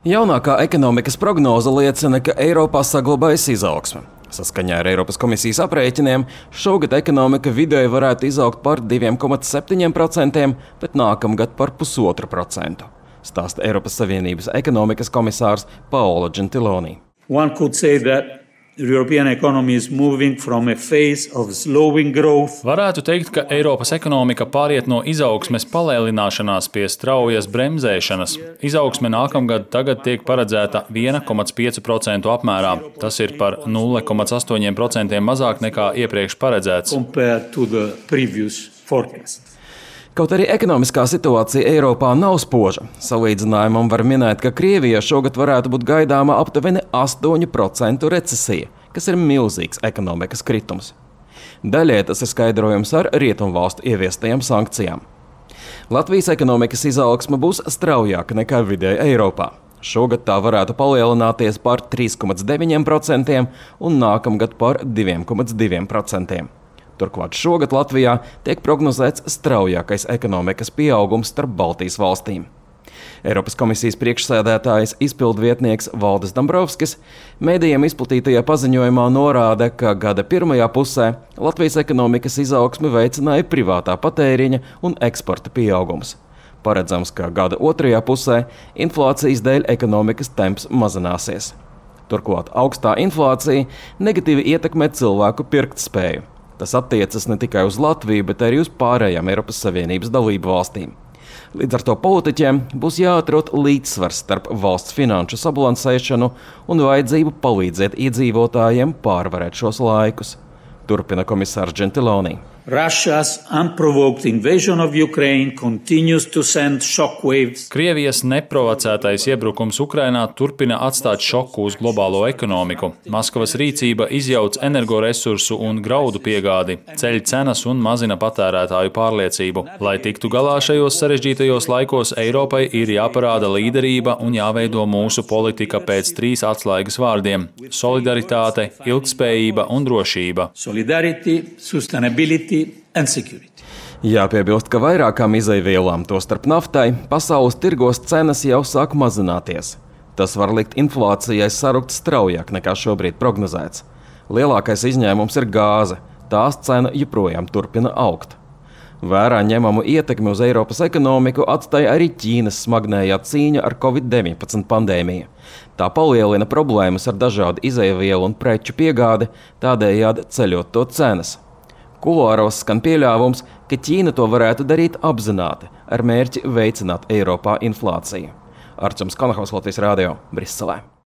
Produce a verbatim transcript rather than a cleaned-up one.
Jaunākā ekonomikas prognoze liecina, ka Eiropā saglabājas izaugsme. Saskaņā ar Eiropas komisijas aprēķiniem, šogad ekonomika vidēji varētu izaugt par diviem komats septiņiem procentiem, bet nākamgad par pusotru procentu. Stāsta Eiropas Savienības ekonomikas komisārs Paolo Gentiloni. One could say that the European economy is moving from a phase of slowing growth. Varētu teikt, ka Eiropas ekonomika pāriet no izaugsmes palēnināšanās pie straujas bremzēšanas. Izaugsme nākamgad tagad tiek paredzēta viens komats pieci procenti apmērā. Tas ir par nulle komats astoņi procenti mazāk nekā iepriekš paredzēts. Compared to the previous forecast. Kaut arī ekonomiskā situācija Eiropā nav spoža. Salīdzinājumam var minēt, ka Krievijā šogad varētu būt gaidāma aptuveni astoņu procentu recesija, kas ir milzīgs ekonomikas kritums. Daļai tas ir skaidrojums ar rietumvalstu ieviestajām sankcijām. Latvijas ekonomikas izaugsme būs straujāka nekā vidēji Eiropā. Šogad tā varētu palielināties par trīs komats deviņi procenti un nākamgad par divi komats divi procenti. Turklāt šogad Latvijā tiek prognozēts straujākais ekonomikas pieaugums starp Baltijas valstīm. Eiropas komisijas priekšsēdētājs izpildvietnieks Valdis Dombrovskis mēdījiem izplatītajā paziņojumā norāda, ka gada pirmajā pusē Latvijas ekonomikas izaugsmi veicināja privātā patēriņa un eksporta pieaugums. Paredzams, ka gada otrajā pusē inflācijas dēļ ekonomikas temps mazināsies. Turklāt augstā inflācija negatīvi ietekmē cilvēku pirktspēju. Tas attiecas ne tikai uz Latviju, bet arī uz pārējām Eiropas Savienības dalību valstīm. Līdz ar to politiķiem būs jāatrod līdzsvars starp valsts finanšu sabalansēšanu un vajadzību palīdzēt iedzīvotājiem pārvarēt šos laikus. Turpina komisārs Gentiloni. Russia's unprovoked invasion of Ukraine continues to send shockwaves. Krievijas neprovocētais iebrukums Ukrainā turpina atstāt šoku uz globālo ekonomiku. Maskavas rīcība izjauc energoresursu un graudu piegādi, ceļ cenas un mazina patērētāju pārliecību. Lai tiktu galā šajos sarežģītajos laikos, Eiropai ir jāparāda līderība un jāveido mūsu politika pēc trīs atslēgas vārdiem – solidaritāte, ilgtspējība un drošība. Solidarity, sustainability and security. Jāpiebilst, ka vairākām izejvielām, tostarp naftai, pasaules tirgos cenas jau sāk mazināties. Tas var likt inflācijai sarukt straujāk nekā šobrīd prognozēts. Lielākais izņēmums ir gāze. Tās cena joprojām turpina augt. Vērā ņemamu ietekmi uz Eiropas ekonomiku atstāja arī Ķīnas smagnējā cīņa ar covid deviņpadsmit pandēmiju. Tā palielina problēmas ar dažādu izejvielu un preču piegādi, tādējādi ceļot to cenas. Kuluāros skan pieļāvums, ka Ķīna to varētu darīt apzināti, ar mērķi veicināt Eiropā inflāciju. Arčuns Konahaus, Latvijas Rādio, Briselē.